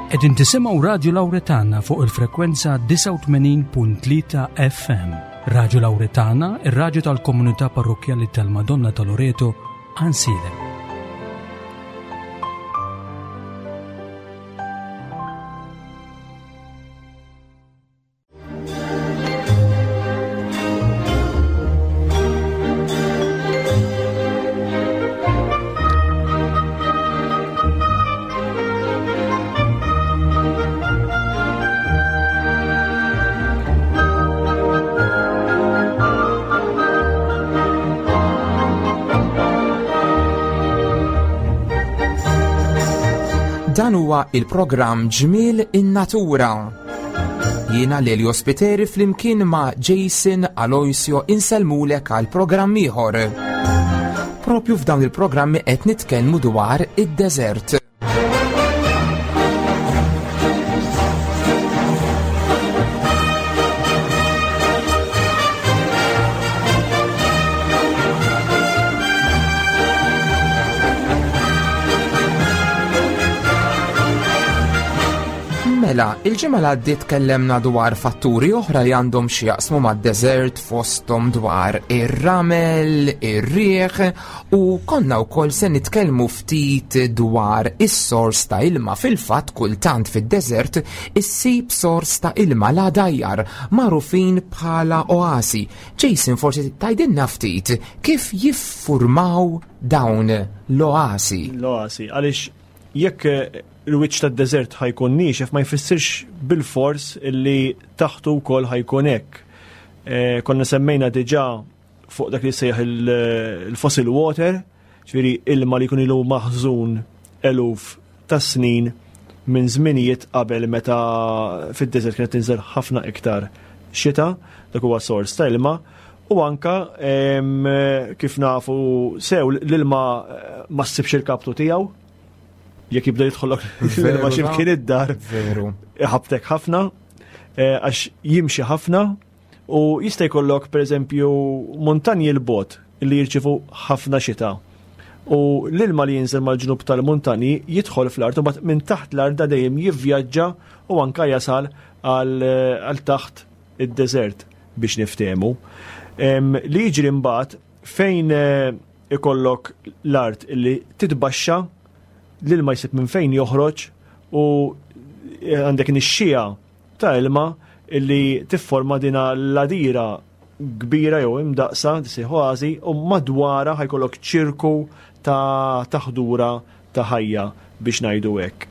Qegħdin tisimgħu Radju Lawretana fuq il-frekwenza 89.3 FM. Radju Lawretana, ir-radju tal-komunità parrokkjali tal-Madonna ta' Loreto, Ansilem. Dan huwa il-programm Ġmiel in-Natura. Jiena Lelio Spiteri flimkien ma' Jason Aloisio insellmulek għal programm ieħor. Propju f'dawn il-programmi qed nitkellmu dwar id-deżert. Mela, il-ġimgħa li għaddiet tkellemna dwar fatturi oħra li għandhom xi jaqsmu mad-deżert fosthom dwar ir-ramel, ir-riħ u konna wkoll se nitkellmu ftit dwar is-sors ta' ilma. Fil-fatt kultant fid-deżert issib sors ta' ilma la dajjar magħrufin bħala oasi. Jason forsi tgħidilna ftit kif jiffurmaw dawn l-oasi. L-oasi, għaliex jekk il-wiċċ tad-deżert ħajkun niexef ma jfissirx bil-fors illi taħtu wkoll ħajkun hekk. Eh, konna semmejna diġà fuq dak li sejjaħ il-fossil water, ġifieri ilma li jkun ilu maħżun eluf ta' snin minn żminijiet qabel meta fid-deżert kienet tinżel ħafna iktar xita, dak huwa sors ta' ilma, u anka kif nafu sew l-ilma eh, ma ssibx il-kaptu tiegħu, jekk jibda jidħollok l-ilma x'imkien id-dar. Veru. Iħabtek ħafna, eh, għax jimxi ħafna U jista' jkollok pereżempju muntanji 'l bogħod li jirċievu ħafna xita. U l-ilma li jinżel mal-ġnub tal-muntanji jidħol fl-art u mbagħad minn taħt l-art da dejjem jivvjaġġa u anka jasal għal taħt id-deżert biex niftehmu. Li jiġri mbagħad fejn eh, ikollok l-art li titbaxxa l-ilma jsib minn fejn joħroġ u eh, għandek nixxija ta' ilma illi tifforma dina l-għadira kbira jew imdaqsa, tisejħ oażi, u madwarha ħajkollok ċirku ta' taħdura ta' ħajja biex ngħidu hekk.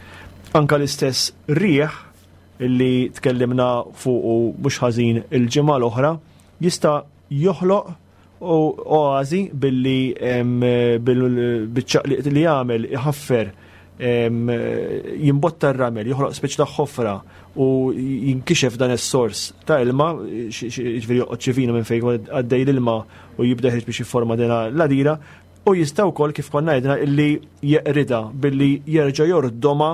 Anka l-istess riħ illi tkellimna fuqu mhux ħażin il-ġimgħa l-oħra jista' joħloq u oażi billi biċ-ċaqliq li jagħmel iħaffer jimbotta r-ramel, joħloq speċi ta' ħofra u jinkixef dan is-sors ta' ilma, ġifieri joqgħod xi vina minn fejn għaddej l-ilma u jibda jeħreġ biex jifforma din l-għadira, u jista' wkoll kif konna għedna illi jeqridha billi jerġa' jordoma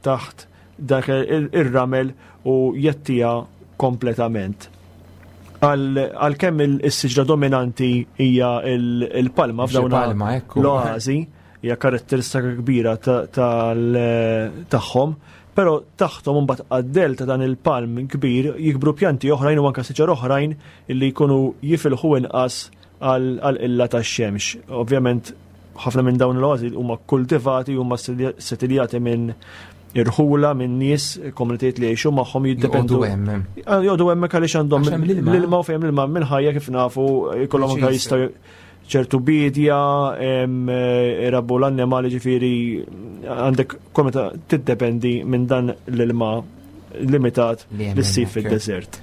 taħt dak ir-ramel u jettija kompletament. Għalkemm is-siġra dominanti hija il-palma f'dawn l-oażi, hija karatteristika kbira tagħhom, però taħthom imbagħad għad-del ta' dan il-palm kbir jikbru pjanti oħrajn u anke siġar oħrajn illi jkunu jifilħu inqas għall-qilla tax-xemx. Ovvjament ħafna minn dawn l-oażi huma kultivati huma setiljati minn irħula minn nies, komunitajiet li jgħixu magħhom jiddependu. hemm. Ah, joqogħdu hemmhekk għaliex għandhom l-ilma u fejn l-ilma minn ħajja kif nafu jkollhom anke jistgħu ċertu bidja, irabbu l-annimali ġifieri għandek komunità tiddependi minn dan l-ilma limitat li ssib fid-deżert.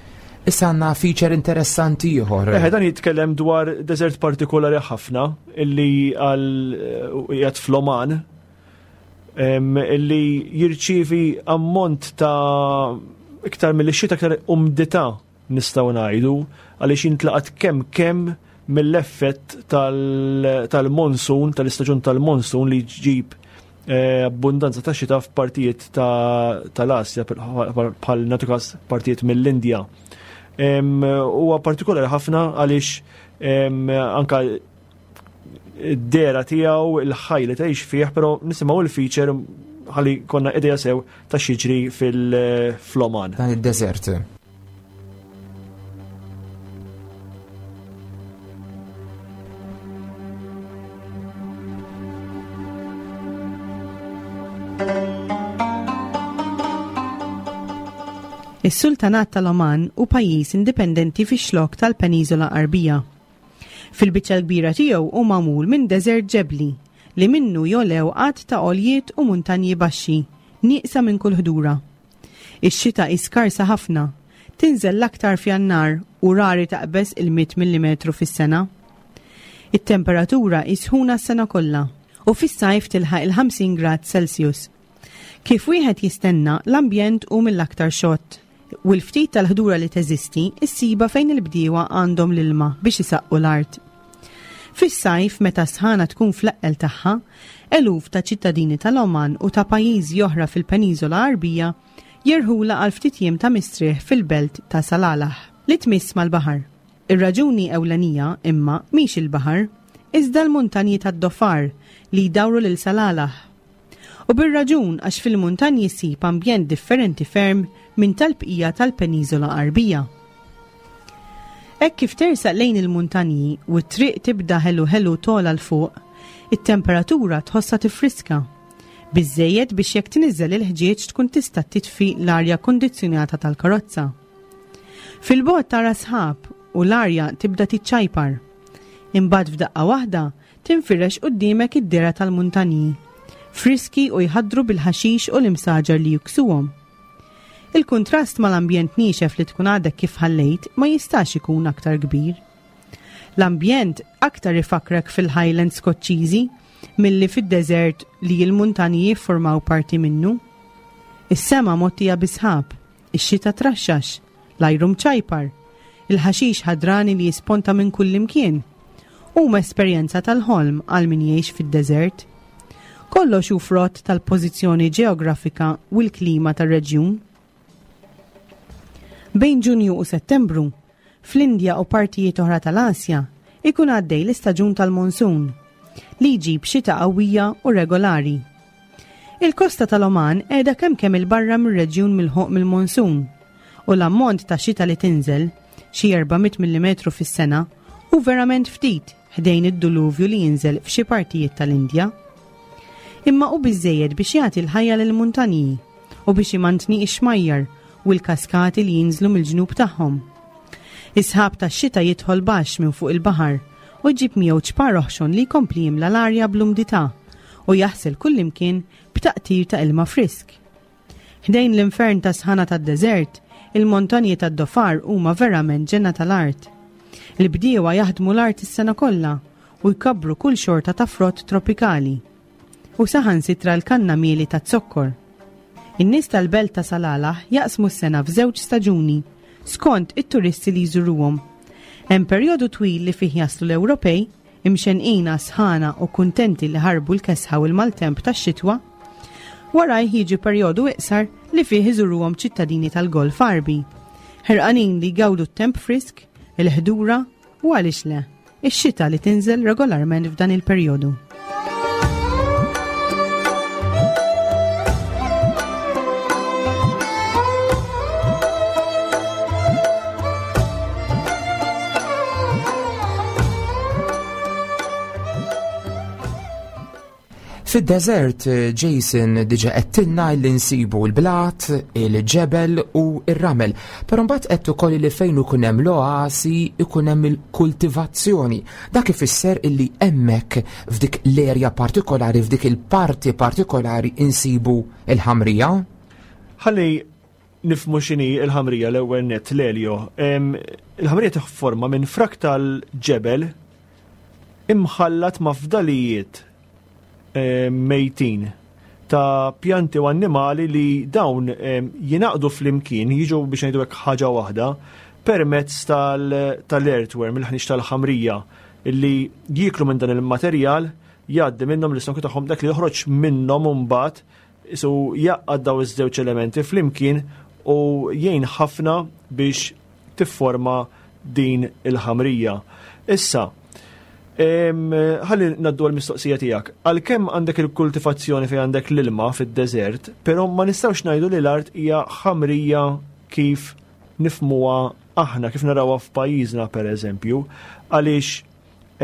Issa għandna feature interessanti ieħor. Eħe, dan jitkellem dwar deżert partikolari ħafna illi għal eh, qiegħed fl-Oman illi jirċievi ammont ta' iktar mill-xita iktar umdità nistgħu ngħidu għaliex jintlaqat kemm kemm mill-effett tal-monsun, tal-istaġun tal-monsun li ġib eh, abbundanza ta' xita f'partijiet tal-Asja bħal natukas partijiet mill-Indja. Huwa partikolari ħafna għaliex anka id-dera tiegħu, il-ħaj li tgħix fih, però nisimgħu il-feature ħalli konna idea sew ta' x'jiġri fil-Oman. Dan id-deżert. Is-Sultanat tal-Oman hu pajjiż indipendenti fix-xlokk tal-Peniżola Għarbija. Fil-biċċa l-kbira tiegħu hu magħmul minn deżert ġebli, li minnu jogħlew għadd ta' għoljiet u muntanji baxxi, nieqsa minn kull ħdura. Ix-xita hi skarsa ħafna, tinżel l-aktar f'Jannar u rari taqbeż il-mitt millimetru fis-sena. It-temperatura hi sħuna s-sena kollha u fis-sajf tilħaq il-50 grad Celsius. Kif wieħed jistenna, l-ambjent hu mill-aktar xott u l-ftit tal-ħdura li teżisti issibha fejn il-bdiewa għandhom l-ilma biex isaqqu l-art. Fis-sajf, meta s-sħana tkun fl-eqqel tagħha, eluf ta' ċittadini tal-Oman u ta' pajjiżi oħra fil-Peniżola Għarbija jerħulha għal ftit jiem ta' mistrieħ fil-belt ta' Salalah, li tmiss mal-baħar. Ir-raġuni ewlenija, imma, mhix il-baħar, iżda l-muntanji tad-Dhofar li jdawru lil Salalah. U bir-raġun għax fil-muntanji ssib ambjent differenti ferm minn tal-bqija tal-Peniżola Għarbija. Hekk kif tersaq lejn il-muntanji u t-triq tibda ħelu ħelu togħla 'l fuq, it-temperatura tħossha tiffriska. Biżżejjed biex jekk tniżżel il-ħġieġ tkun tista' titfi l-arja kundizzjonata tal-karozza. Fil-bogħod tara sħab u l-arja tibda tiċċajpar. Imbagħad f'daqqa waħda Tinfirex quddiemek id-dehra tal-muntanji, friski u jħaddru bil-ħaxix u l-imsaġar li jiksuhom. Il-kuntrast mal-ambjent niexef li tkun għadek kif ħallejt ma jistax ikun aktar kbir. L-ambjent aktar ifakkrek fil-Highlands Skoċċiżi milli fid-deżert li l-muntanji jiffurmaw parti minnu. Is-sema mgħottija bis-sħab, ix-xita traxxax, l-ajru mċajpar, il-ħaxix ħadrani li jisponta minn kullimkien, huma esperjenza tal-ħolm għal min jgħix fid-deżert. Kollox hu frott tal-pożizzjoni ġeografika u l-klima tar-reġjun. Bejn Ġunju u Settembru, fl-Indja u partijiet oħra tal-Asja, ikun għaddej l-istaġun tal-monsun, li jġib xita qawwija u regolari. Il-kosta tal-Oman qiegħda kemm kemm 'il barra mir-reġjun milħuq mill-monsun, u l-ammont ta' xita li tinżel, xi 400 millimetru fis-sena, hu verament ftit ħdejn id-duluvju li jinżel f'xi partijiet tal-Indja. Imma hu biżżejjed biex jagħti l-ħajja lill-muntanji u biex imantni x-xmajjar u l-kaskati li jinżlu mill-ġnub tagħhom. Is-sħab tax-xita jidħol baxx minn fuq il-baħar u jġib miegħu ċpar oħxon li jkompli jimla l-arja bl-umdità u jaħsel kullimkien b'taqtir ta' ilma frisk. Ħdejn l-infern ta' sħana tad-deżert, il-montanji tad-Dofar huma verament ġenna tal-art. Il-bdiewa jaħdmu l-art is-sena kollha u jkabbru kull xorta ta' frott tropikali. U saħansitra l-kanna mieli taz-zokkor. In-nies tal-belt ta' Salalah jaqsmu s-sena f'żewġ staġuni, skont it-turisti li jżuruhom. Hemm perjodu twil li fih jaslu l-Ewropej imxennqin għas-sħana u kuntenti li ħarbu l-kesħa u l-maltemp tax-xitwa. Warajh jiġi perjodu iqsar li fih iżuruhom ċittadini tal-Golf Għarbi, ħerqanin li jgawdu t-temp frisk, il-ħdura u għaliex le, ix-xita li tinżel regolarment f'dan il-perjodu. Fid-deżert, Jason diġa qedtilna li nsibu l-blat, il-ġebel u r-ramel, però mbagħad qed ukoll li fejn ikun hemm l-oasi ikun hemm il-kultivazzjoni. Dak ifisser illi hemmhekk f'dik l-erja partikolari, f'dik il-parti partikolari insibu l-ħamrija. Ħalli nifmu x'inhi l-ħamrija l-ewwel nett l-elio. Il-ħamrija tifforma minn frak tal-ġebel imħallat ma' fdalijiet mejtin ta' pjanti u annimali li dawn jingħaqdu flimkien, jiġu biex ngħidu hekk ħaġa waħda, permezz tal-earthworm, il-ħniex tal-ħamrija, li jieklu minn dan il-materjal, jgħaddi minnhom l-istonku tagħhom dak li joħroġ minnhom imbagħad Isu jgħaqqad daw iż-żewġ elementi flimkien u jgħin ħafna biex tifforma din il-ħamrija. Issa, Ħalli naddu għal-mistoqsija tiegħek. Għalkemm għandek il-kultivazzjoni fejn għandek l-ilma fid-deżert, però ma nistgħux ngħidu li l-art hija ħamrija kif nifmuha aħna, kif narawha f'pajjiżna pereżempju, għaliex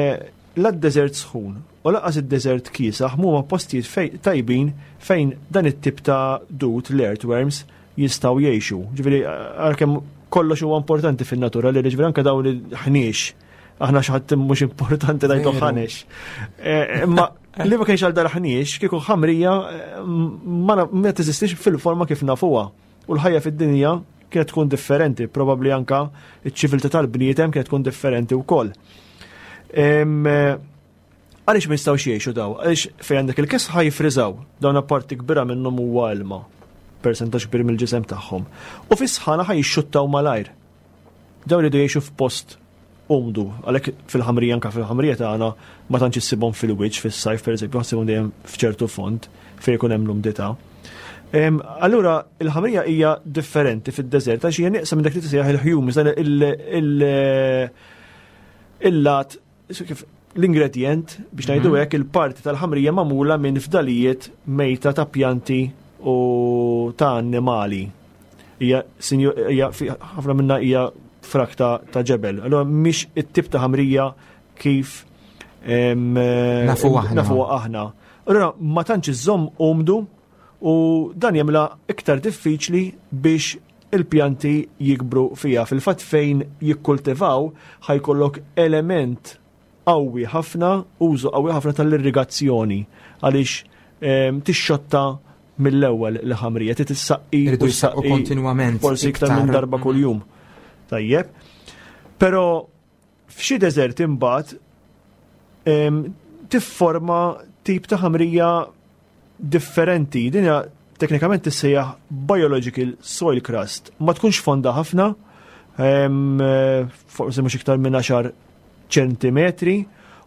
eh, la d-deżert sħun u laqas id-deżert kiesaħ mhuma postijiet fej, tajbin fejn dan it-tip ta' dud l-earthworms jistgħu jgħixu. Ġifieri għalkemm kollox huwa importanti fin-natura li ġifieri anke dawn il-ħniex aħna xi ħadd mhux importanti ngħidu ħanex. Eh, imma li ma kienx għal dal-ħniex kieku ħamrija eh, ma teżistix fil-forma kif nafuha. U l-ħajja fid-dinja kienet tkun differenti, probabbli anka iċ-ċiviltà tal-bniedem kienet tkun differenti wkoll. Eh, għaliex ma jistgħux jgħixu daw? Għaliex fejn għandek il-kesħa jifriżaw, dawn parti kbira minnhom huwa ilma, persentaġġ kbir mill-ġisem tagħhom. U fis-sħana ħaj jixxuttaw malajr. Dawn iridu jgħixu f'post umdu, għalhekk fil-ħamrija anke fil-ħamrija tagħna ma tantx issibhom fil-wiċċ fis-sajf pereżempju, ħassibhom dejjem f'ċertu fond fejn ikun hemm l-umdità. Allura il-ħamrija hija differenti fid-deżert għax hija nieqsa minn dak li tisejjaħ il-humus, dan il-lat kif l-ingredjent biex ngħidu mhm. hekk il-parti tal-ħamrija magħmula minn fdalijiet mejta ta' pjanti u ta' annimali. Hija ħafna minna hija frak ta' ġebel. Allura mhix it-tip ta' ħamrija kif nafu aħna. Nafu aħna. Allura ma tantx iżomm umdu u dan jagħmilha iktar diffiċli biex il-pjanti jikbru fiha. Fil-fatt fejn jikkultivaw ħajkollok element qawwi ħafna, użu qawwi ħafna tal-irrigazzjoni għaliex ehm, tixxotta mill-ewwel l-ħamrija, trid issaqqi u ssaqqi kontinwament. Forsi iktar minn darba kuljum. Tajjeb. Però F'xi deżerti imbagħad tifforma tip ta' ħamrija differenti. Din hija teknikament tissejjaħ biological soil crust. Ma tkunx fonda ħafna, forsi mhux iktar minn 10 ċentimetri,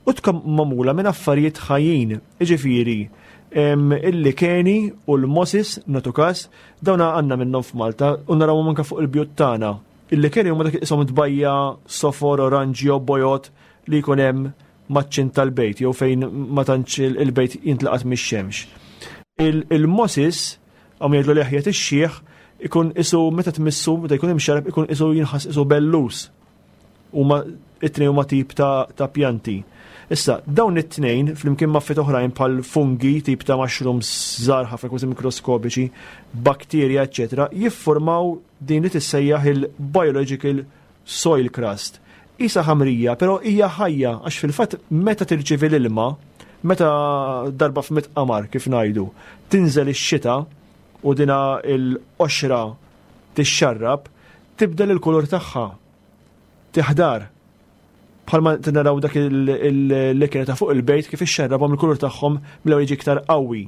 u tkun magħmula minn affarijiet ħajjin. Iġifieri, il-likeni u l-mosis, natu każ, dawn għandna minnhom f'Malta u narawhom anke fuq il-bjut tagħna. Il-likeni huma dak iqishom tbajja sofor, oranġjo, bojod li jkun hemm maċ-ċint tal-bejt jew fejn ma tantx il-bejt jintlaqat mix-xemx. Il-mosis, hawn jgħidlu leħjet ix-xiħ, ikun isu meta tmissu, meta jkun imxarrab ikun isu jinħass isu bellus. Huma it-tnejn huma tip ta', ta pjanti. Issa, dawn it-tnejn, flimkien ma' affarijiet oħrajn bħal fungi, tip ta' mushrooms żgħar ħafna kważi mikroskopiċi, bakterja, eċċetera, jiffurmaw din li tissejjaħ il-biological soil crust. Isa ħamrija, però hija ħajja għax fil-fatt meta tirċievi l-ilma, meta darba f'mit qamar kif ngħidu, tinżel ix-xita u dina l-qoxra tixxarrab, tibdel il-kulur tagħha. Tiħdar. Bħalma naraw dak il-likra ta' fuq il-bejt kif ixxarrabhom il-kulur tagħhom mill-ewwel jiġi iktar qawwi.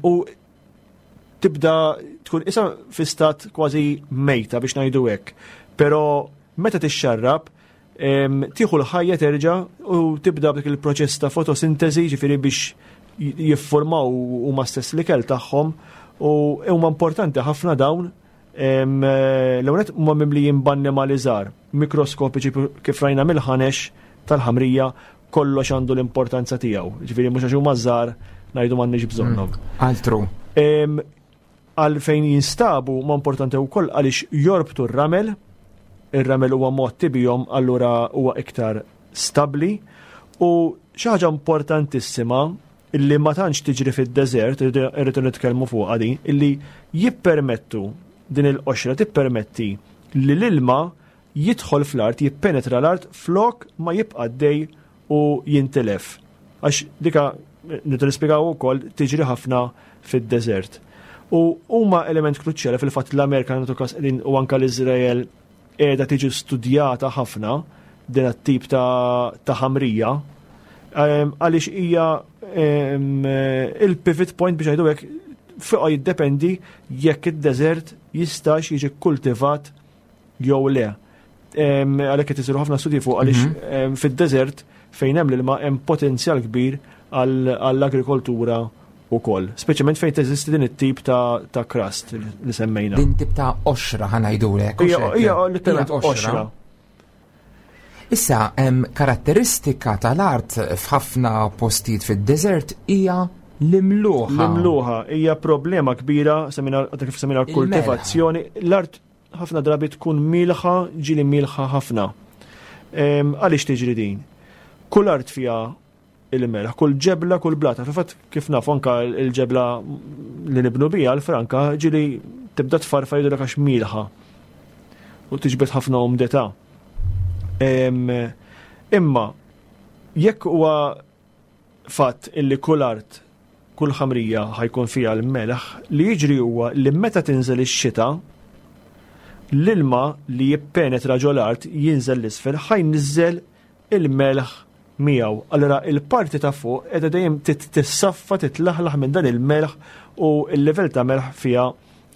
U tibda tkun isa fi stat kważi mejta biex ngħidu hekk. Però meta tixxarrab, tieħu l-ħajja terġa' u tibda b'dik il-proċess ta' fotosintesi, ġifieri biex jiffurmaw huma stess l-ikel tagħhom u huma importanti ħafna dawn L-ewwel nett huma mimlijin b'annimali żgħar, mikroskopiċi kif rajna mill-ħanex tal-ħamrija kollox għandu l-importanza tiegħu. Ġifieri mhux għax huma żgħar ngħidu m'għandniex bżonnhom. Mm, altru. Għal fejn jinstabu ma importanti wkoll għaliex jorbtu r-ramel, ir-ramel huwa motti bihom allura huwa iktar stabbli u xi ħaġa importantissima illi ma tantx tiġri fid-deżert, irridu nitkellmu fuqha din, illi jippermettu din il-qoxra tippermetti li l-ilma jidħol fl-art, jippenetra l-art flok ma jibqa' dej u jintilef. Għax dika nridu nispjegaw ukoll tiġri ħafna fid-deżert. U huma element kruċjali fil-fatt l-Amerika nagħtu każ qegħdin u anke l-Iżrael qiegħda tiġi studjata ħafna din tip ta' ħamrija ehm, għaliex hija ehm, il-pivot point biex ngħidu hekk fuqha jiddependi jekk id-deżert jistax jiġi kultivat jew le. Ehm, għalhekk qed isiru ħafna studji fuq għaliex mhm. fid-deżert fejn hemm l-ilma hemm potenzjal kbir għall-agrikoltura ukoll, speċjalment fejn teżisti din it-tip ta', ta crust li semmejna. Din tip ta' oxra ħanajdulek. Hija letteralment oxra. Issa hemm karatteristika tal-art f'ħafna postijiet fid-deżert hija l-imluħa. L-imluħa hija problema kbira, semmina kif semmina l-kultivazzjoni. L-art ħafna drabi tkun milħa, ġili milħa ħafna. Għaliex tiġri din? Kull art fiha il-melħ, kull ġebla, kull blata. Fil-fatt kif nafu anka l-ġebla li nibnu bija l-franka ġili tibda tfarfar jidhirlek għax milħa u tiġbed ħafna umdità. Imma jekk huwa fatt illi kull art, kull ħamrija ħajkun fiha l-melħ, li jiġri huwa li meta tinżel ix-xita, l-ilma li jippenetra ġol-art jinżel l-isfel ħajniżżel il-melħ miegħu. Allura il-parti ta' fuq qiegħda dejjem tissaffa, titlaħlaħ minn dan il-melħ u l-livell ta' melħ fiha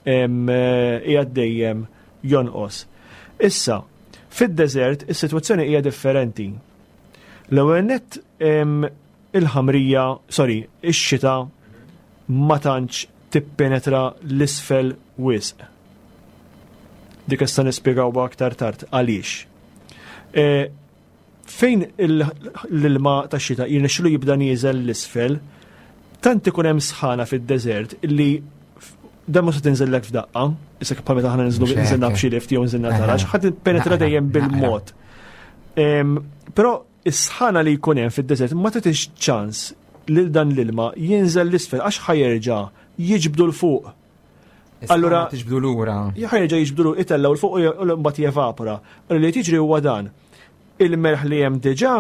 qiegħed dejjem jonqos. Issa, fid-deżert is-sitwazzjoni hija differenti. L-ewwel nett il-ħamrija, sorry, ix-xita ma tantx tippenetra l-isfel wisq. Dik issa nispjegawha aktar tard għaliex. E, fejn l-ilma tax-xita jirnexxilu jibda nieżel l-isfel, tant ikun hemm sħana fid-deżert li dan mhux se tinżellek f'daqqa, issa bħal meta aħna ninżlu nżilna b'xi lift jew nżilna taraġ, ħadd penetra dejjem bil-mod. Però is-sħana li jkun hemm fid-deżert ma tagħtix ċans lil dan l-ilma jinżel l-isfel għax ħajerġa' jiġbdu l fuq. Allura tiġbdu lura. Ħajerġa' jiġbdu itellgħu l fuq u mbagħad jevapora. Allura li tiġri huwa dan. Il-melħ li hemm diġà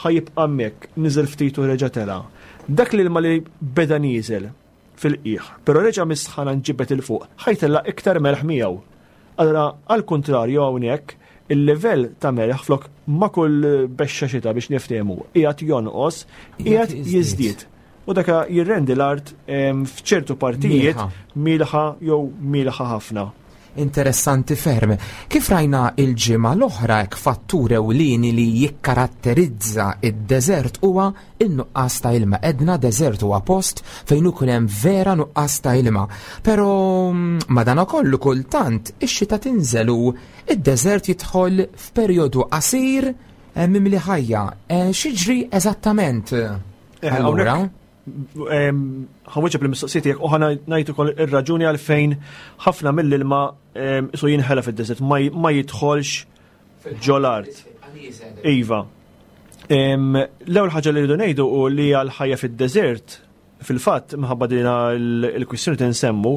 ħajibqa' hemmhekk, niżel ftit u reġa' tela'. Dak l-ilma li beda nieżel fil-qiegħ, però reġa' mis-sħana nġibed 'il fuq, ħa jtella' iktar melħ miegħu. Allura għall-kuntrarju hawnhekk, il-livell ta' melħ flok ma' kull bexxa xita biex niftehmu qiegħed jonqos, qiegħed jiżdied. U dak jirrendi l-art f'ċertu partijiet milħa jew milħa ħafna. Interessanti ferm. Kif rajna il-ġimgħa l-oħra hekk fattur ewlieni li jikkaratterizza id-deżert huwa in-nuqqas ta' ilma. Edna deżert huwa post fejn ikun hemm vera nuqqas ta' ilma. Però mm, madanakollu kultant ix-xita tinżel u id-deżert jidħol f'perjodu qasir eh, mimli ħajja. Eh, x'jiġri eżattament? Eh, allura? Ħawieġeb l-mistoqsijiet tiegħek u ħana ngħid ukoll ir-raġuni għalfejn ħafna mill-ilma isu jinħela fid-deżert ma jidħolx ġol-art. Iva. L-ewwel ħaġa li rridu ngħidu u li għal ħajja fid-deżert fil-fatt minħabba dina l-kwistjoni tinsemmu,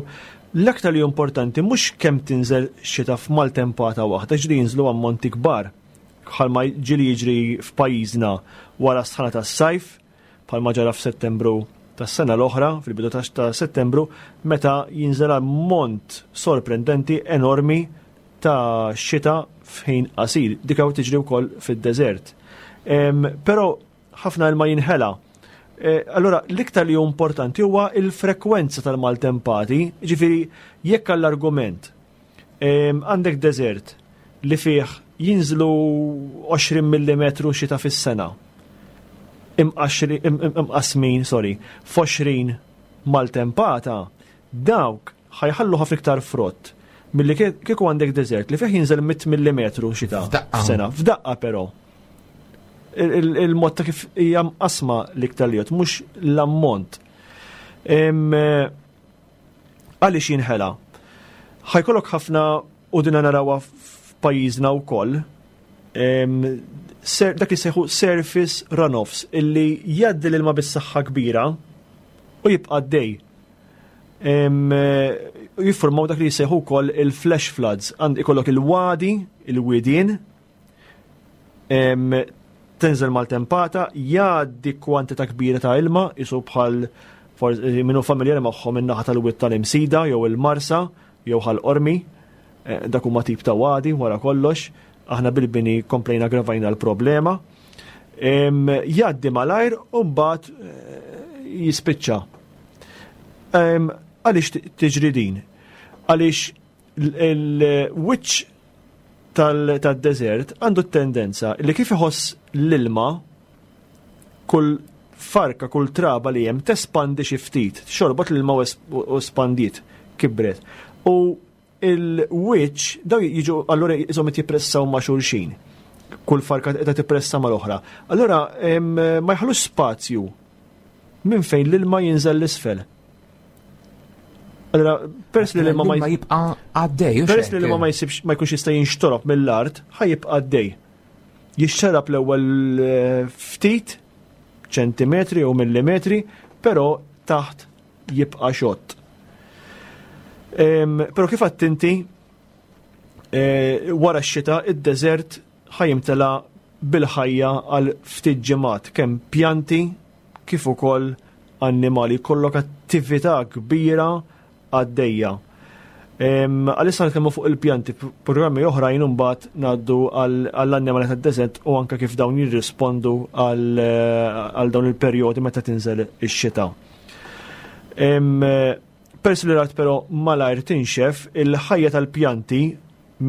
l-aktar li importanti mhux kemm tinżel xita f'maltempata waħda, ġri jinżlu ammonti kbar bħalma ġieli jiġri f'pajjiżna wara s-sħana tas-sajf, bħalma ġara f'Settembru tas-sena l-oħra, fil-bidu ta' Settembru, meta jinżel ammont sorprendenti enormi ta' xita f'ħin qasir. Dik hawn tiġri wkoll fid-deżert. Però ħafna ilma jinħela. E, allura l-iktar li hu importanti huwa il-frekwenza tal-maltempati, ġifieri jekk għall-argument Għandek deżert li fih jinżlu 20 mm xita fis-sena. Imqasmin, sorry, f'20 maltempata, dawk ħajħallu ħafna iktar frott milli kieku għandek deżert li fih jinżel 100 mm xita f'sena. F'daqqa però. Il-mod ta' kif hija mqasma l-iktar li mhux l-ammont. Għaliex jinħela? Ħajkollok ħafna u dina narawha f'pajjiżna wkoll, dak li sejħu surface runoffs illi jgħaddi l-ilma bis-saħħa kbira u jibqa' għaddej. Jiffurmaw dak li jisejħu wkoll il-flash floods. Għand ikollok il-wadi, il-widien, Tinżel maltempata, jgħaddi kwantità kbira ta' ilma, isu bħal eh, minnu familjari magħhom in-naħa tal-wied tal-Imsida jew il-Marsa jew ħal Qormi, eh, dak huma tip ta' wadi wara kollox, aħna bil-bini komplejna gravajna l-problema. Jgħaddi malajr u mbagħad eh, jispiċċa. Għaliex tiġri din? Għaliex Il-wiċċ tad-deżert għandu t-tendenza li kif iħoss l-ilma kull farka, kull traba li hemm tespandi xi ftit, xorbot l-ilma u espandiet, kibret. U il-wiċċ daw jiġu allura jisom jippressaw ma' xulxin. Kull farka qiegħda tippressa mal-oħra. Allura ma jħallux spazju minn fejn l-ilma jinżel l-isfel. Allora, peress li l-ilma ma jibqa' għaddej. Peress li l-ilma ma jsibx ma jkunx jista' jinxtorob mill-art, ħa jibqa' għaddej. Jixxarab l-ewwel eh, ftit ċentimetri u millimetri, però taħt jibqa' xott. Però kif għadt inti, eh, wara x-xita id-deżert ħajimtela bil-ħajja għal ftit ġimgħat kemm pjanti kif ukoll annimali. Kollok attività kbira għaddejja. Għalissa nitkellmu fuq il-pjanti, programmi oħrajn imbagħad ngħaddu għall-annimali tad-deżert u anke kif dawn jirrispondu għal dawn il-perjodi meta tinżel ix-xita. Peress li l-art però malajr tinxef, il-ħajja tal-pjanti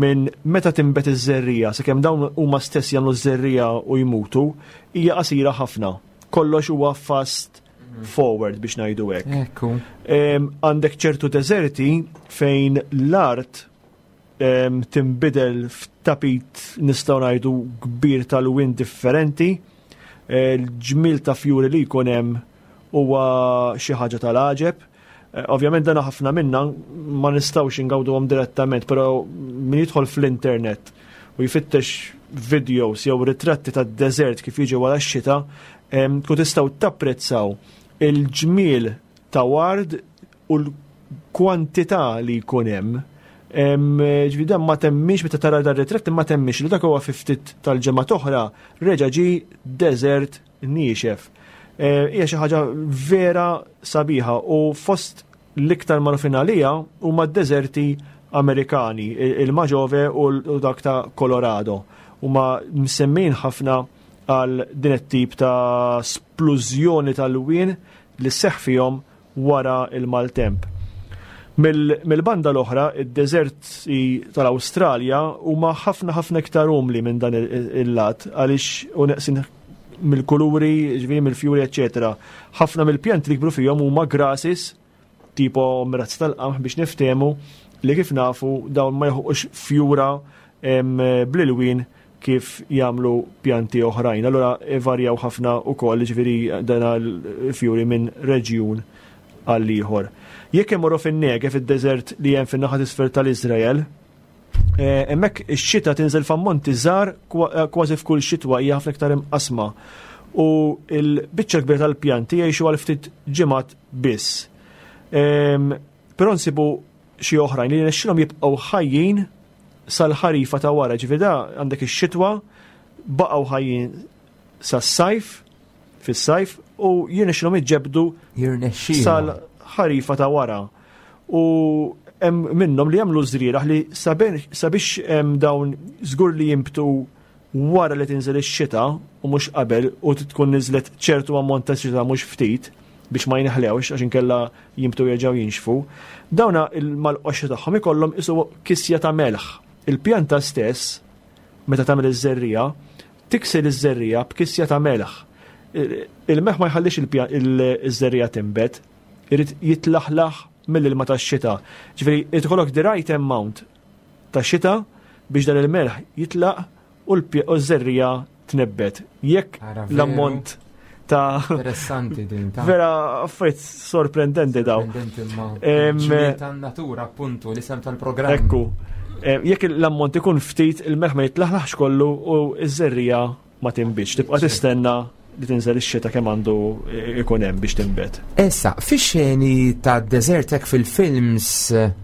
minn meta tinbet iż-żerriegħa sakemm dawn huma stess jagħmlu ż-żerriegħa u jmutu hija qasira ħafna. Kollox huwa fast forward biex ngħidu hekk. Ekku. Għandek ċertu deżerti fejn l-art tinbidel f'tapit nistgħu ngħidu kbir tal-win differenti, eh, l-ġmil ta' fjuri li jkun hemm huwa xi ħaġa tal-għaġeb. Eh, ovvjament dana ħafna minna ma nistgħux ingawduhom direttament, però min jidħol fl-internet u jfittex videos jew ritratti tad-deżert kif jiġi wara x-xita, tkun tistgħu tapprezzaw il-ġmiel ta' ward u l-kwantità li jkun hemm. Ġifieri dan ma temmix meta tara dar ritratt ma temmix li dak huwa fi ftit tal-ġimgħa oħra reġa' ġi deżert niexef. Eh, hija xi ħaġa vera sabiħa u fost l-iktar magħrufin għalija huma d-deżerti Amerikani, il-Maġove u dak ta' Colorado. Huma msemmin ħafna għal din it-tip ta' splużjoni tal-wien li seħ fihom wara l-maltemp. Mill-banda l-oħra, id-deżerti tal-Awstralja huma ħafna ħafna iktar umli minn dan il-lat għaliex u neqsin mill-kuluri, ġifieri mill-fjuri, eċetera. Ħafna mill-pjanti li jikbru fihom huma grasses, tipo mrazz tal-qamħ biex niftehmu li kif nafu dawn ma jħuqux fjura bl-ilwien kif jagħmlu pjanti oħrajn. Allura ivarjaw ħafna wkoll ġifieri dan il-fjuri minn reġjun għal ieħor. Jekk imorru fin-Negev, id-deżert li hemm fin-naħa t'isfel tal-Iżrael, eh, hemmhekk ix-xita tinżel f'ammonti żgħar eh, kważi f'kull xitwa hija ħafna iktar imqasma. U l-biċċa kbira tal-pjanti jgħixu għal ftit ġimgħat biss. Ehm, però nsibu xi oħrajn li jirnexxilhom jibqgħu ħajjin sal-ħarifa ta' wara, ġifieri da għandek ix-xitwa baqgħu ħajjin sas-sajf, fis-sajf u jirnexxilhom iġġebdu sal-ħarifa ta' wara. U hemm minnhom li jagħmlu żrieraħ li sabiex dawn żgur li jimbtu wara li tinżel ix-xita u mhux qabel u tkun niżlet ċertu ammont ta' xita mhux ftit biex ma jinħlewx għax inkella jimbtu jerġgħu jinxfu, dawna mal-qoxra tagħhom ikollhom isu kisja ta' melħ. Il-pjanta stess, meta tagħmel iż-żerriegħa, tiksel iż-żerriegħa b'kisja ta' melħ. Il-melħ ma jħallix iż-żerriegħa tinbet, irid jitlaħlaħ mill-ilma tax-xita. Ġifieri, irid ikollok the right amount ta' xita biex dan il-melħ jitlaq u l-żerriegħa tnebbet. Jekk l-ammont ta' Interessanti din ta' Vera affarijiet sorprendenti daw. Sorprendenti ma' natura appuntu l-isem tal-programm. Ekku. Jekk l-ammont ikun ftit il-melħ ma jitlaħlaħx kollu u ż-żerriegħa ma tinbitx, tibqa' tistenna li tinżel ix-xita kemm għandu ikun hemm biex tinbet. Issa, fix-xeni ta' deżert hekk fil-films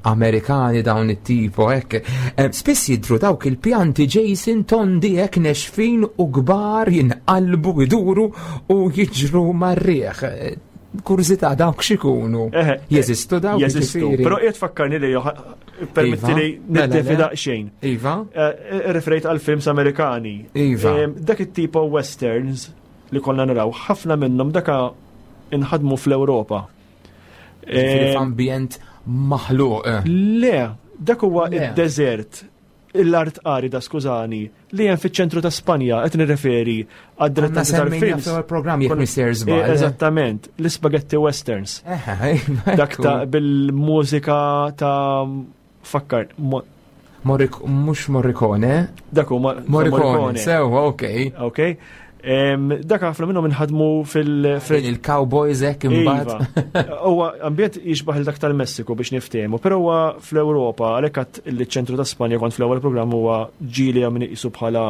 Amerikani dawn it-tipo hekk, eh, spiss jidhru dawk il-pjanti Jason tondi hekk nexfin u kbar jinqalbu iduru u jiġru mar-riħ. Kurżità dawk x'ikunu? Jeżistu dawk? Jeżistu, però qiegħed fakkarni li permetti li iva. Mela, niddefi daqsxejn. Iva. Eh, eh, referejt għal films Amerikani. Iva. Eh, dak it-tipo westerns li konna naraw, ħafna minnhom daka inħadmu fl-Ewropa. F'ambjent maħluq. Le, dak huwa id-deżert l-art arida, skużani, li hemm fiċ-ċentru ta' Spanja, qed nirreferi għad-direttanti tal-films. programm jekk mister żball. Eh, eżattament, l-ispaghetti westerns. Dak ta' bil-mużika ta' fakkar. Morrik, mhux Morricone. Dak huma Morricone. Sewa, ok. Ok. Dak ħafna minnhom inħadmu fil- Il-cowboys hekk imbagħad. Iva. Huwa ambjent jixbaħ il dak tal-Messiku biex niftehmu, però huwa fl-Ewropa għalhekk għadt li ċ-ċentru ta' Spanja kont fl-ewwel programm huwa ġieli hemm min iqisu bħala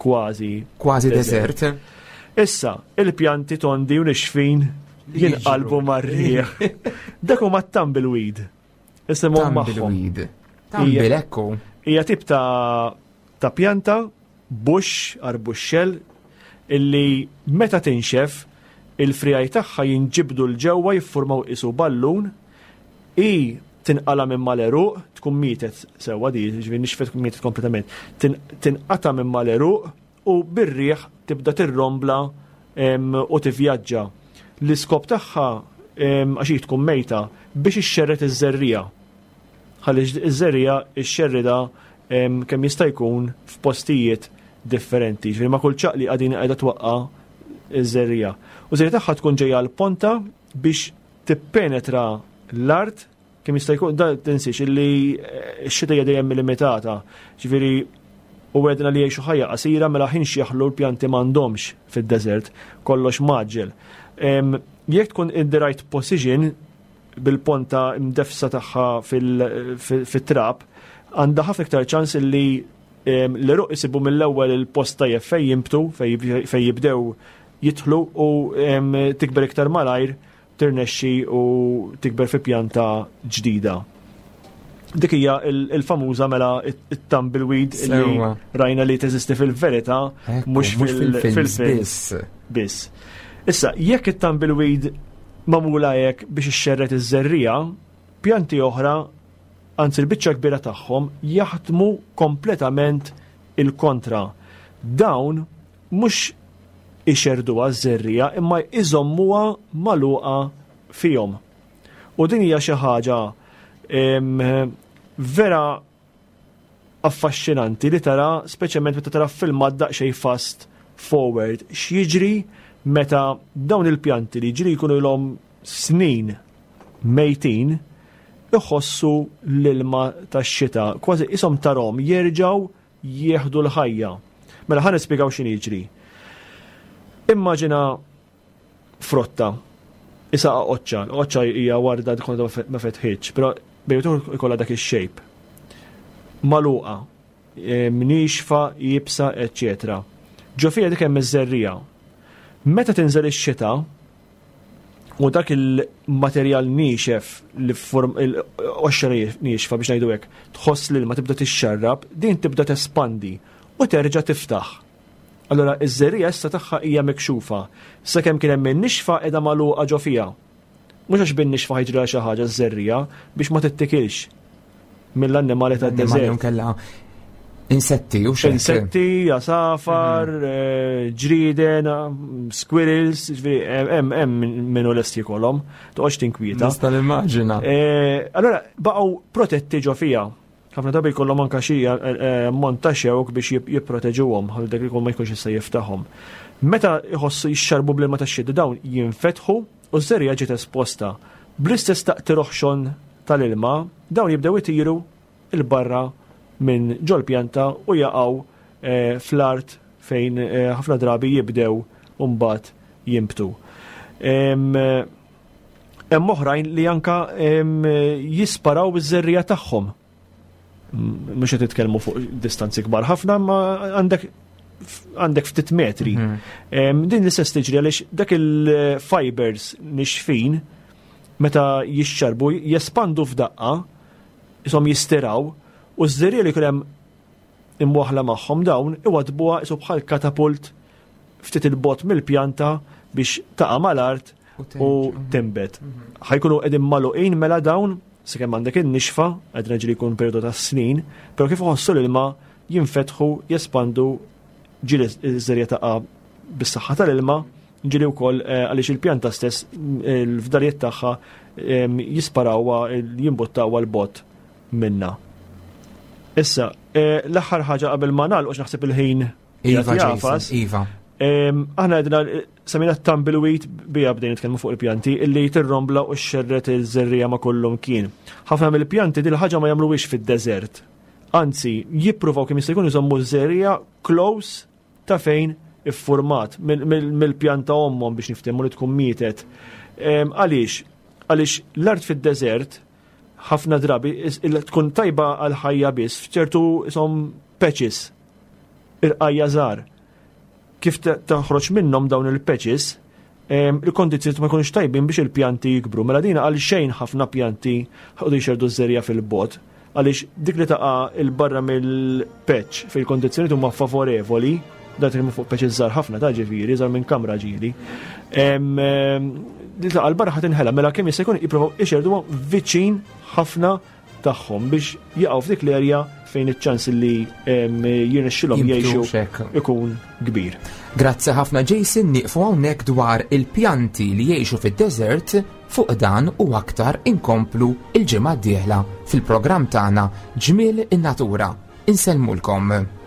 kważi Kważi desert. Issa, il-pjanti tondi u nixfin jinqalbu mar-riħ. Dak huma tumbleweed. Isimhom magħhom. Tumbleweed. Tumble ekku. Hija tip ta' ta' pjanta bush, arbuxxell, illi meta tinxef il-frijaj tagħha jinġibdu 'l ġewwa jiffurmaw qisu ballun, hi tinqala' minn mal-għeruq, tkun mietet sewwa di, jiġifieri nixfet tkun mietet kompletament, tinqata' minn mal-għeruq u bir-riħ tibda tirrombla u tivvjaġġa. L-iskop tagħha, għax hi tkun mejta, biex ixxerred iż-żerriegħa. Ħalli ż-żerriegħa xxerridha kemm jista' jkun f'postijiet differenti. Ġifieri ma' kull ċaqliqa din qiegħda twaqqa' ż-żerriegħa. U żerriegħa tagħha tkun ġejja l-ponta biex tippenetra l-art kemm jista' jkun, da tinsiex illi eh, x-xita hija dejjem limitata. Ġifieri u għedna li jgħixu ħajja qasira mela ħin xjaħlu l-pjanti m'għandhomx fid-deżert, kollox maġġel. Jekk tkun in the right position bil-ponta mdefsa tagħha fit-trab, għandha ħafna iktar ċans illi l-eruq isibu mill-ewwel il-post tajjeb fejn jimbtu, fejn jibdew jidħlu u tikber iktar malajr tirnexxi u tikber fi pjanta ġdida. Dik hija il-famuża mela it-tumbleweed li rajna li teżisti fil-verità mhux fil-films biss. Issa, jekk it-tumbleweed magħmula hekk biex ixxerred iż-żerriegħa, pjanti oħra, anzi l-biċċa kbira tagħhom, jaħdmu kompletament il-kontra. Dawn mhux ixerrduha ż-żerriegħa imma jżommuha magħluqa fihom. U din hija xi ħaġa vera affaxxinanti li tara speċjalment meta tara filmat daqsxejn fast forward x'jiġri meta dawn il-pjanti li ġri jkunu ilhom snin mejtin iħossu l-ilma tax-xita, kważi ishom tarhom jerġgħu jieħdu l-ħajja. Mela ħa nispjegaw x'inhi jiġri. Immaġina frotta, isa qoċċa, l-qoċċa hija warda tkun ma fetħitx, però bejn ikollha dak ix-shape. Maluqa, e, mnixfa, jibsa, eċċetera. Ġo fija dik hemm iż-żerriegħa. Meta tinżel ix-xita, u dak il-materjal niexef li form il-qoxra niexfa biex ngħidu hekk, tħoss li ma tibda tixxarrab, din tibda tespandi u terġa' tiftaħ. Allura iż-żerriegħa issa tagħha hija mikxufa. Sakemm kien hemm in-nixfa qiegħda magħluqa ġo fiha. Mhux għax bin-nixfa ħajġrilha xi ħaġa ż-żerriegħa biex ma tittikilx mill-annimali tad-deżert. Kella insetti u xejn. Insetti, għasafar, mhm. eh, ġrieden, squirrels, ġifieri eh, hemm hemm minnu lest jikolhom, toqgħodx tinkwieta. Nista' nimmaġina. Eh, allora baqgħu protetti ġo fija. Ħafna drabi jkollhom anke xi ammont ta' xewk biex jipproteġuhom ħalli dak ikun ma jkunx jista' jiftaħhom. Meta jħossu jixxarbu bl-ilma tax-xita dawn jinfetħu u ż-żerriegħa ġiet esposta. Bl-istess taqtir oħxon tal-ilma, dawn jibdew itiru 'l barra minn ġol-pjanta u jaqgħu fl-art fejn ħafna drabi jibdew mbagħad jinbtu. Hemm oħrajn li anka jisparaw iż-żerriegħa tagħhom. Mhux qed titkellmu fuq distanzi kbar ħafna, ma għandek għandek ftit metri. Mhm. Din l-istess tiġri għaliex dak il-fibers nixfin meta jixxarbu jespandu f'daqqa, isom jistiraw u ż-żerriegħa li jkun hemm imwaħħla magħhom dawn iwaddbuha qisu bħal katapult ftit il-bogħod mill-pjanta biex taqa' mal-art u tinbet. Mhm. Ħajkunu qegħdin magħluqin mela dawn sakemm għandek in-nixfa, qed ġieli jkun perjodu ta' snin, però kif iħossu l-ilma jinfetħu, jespandu ġieli ż-żerja taqa' bis-saħħa tal-ilma, ġieli wkoll eh, għaliex il-pjanta stess il-fdalijiet tagħha jisparawha, jimbuttawha l-bot minna. Issa, eh, l-aħħar ħaġa qabel ma nagħlqu naħseb il-ħin Iva, jafas. Iva. Aħna għedna samina tumbleweed bija bdejn nitkellmu fuq il-pjanti illi tirrombla u xerret il-żerrija ma kollum kien. Ħafna mill-pjanti dil ħaġa ma jagħmluwiex fid-deżert. Anzi, jippruvaw kemm jista' jkun iżommu ż-żerriegħa close ta' fejn iffurmat mill-pjanta ommhom biex niftehmu li tkun mietet. Għaliex? Għaliex l-art fid-deżert ħafna drabi tkun tajba għal ħajja biss f'ċertu isom patches irqajja żgħar. Kif toħroġ minnhom dawn il-patches, il-kondizzjoni ma jkunux tajbin biex il-pjanti jikbru. Mela dina għal xejn ħafna pjanti ħadu jxerdu ż-żerja fil-bot għaliex dik li taqa' il-barra mill-patch fil-kondizzjoni huma favorevoli, dan nitkellmu fuq patches żgħar ħafna ta' ġifieri, żgħar minn kamra ġieli. Li taqa' l-barra ħadd inħela, mela kemm jista' jkun jippruvaw ixerduhom viċin ħafna tagħhom biex jaqgħu f'dik l-erja fejn iċ-ċans li jirnexxilhom jgħixu ikun kbir. Grazzi ħafna Jason nieqfu hawnhekk dwar il-pjanti li jgħixu fid-deżert fuq dan u aktar inkomplu il-ġimgħa d-dieħla fil-programm tagħna Ġmiel in-Natura. Insellmulkom.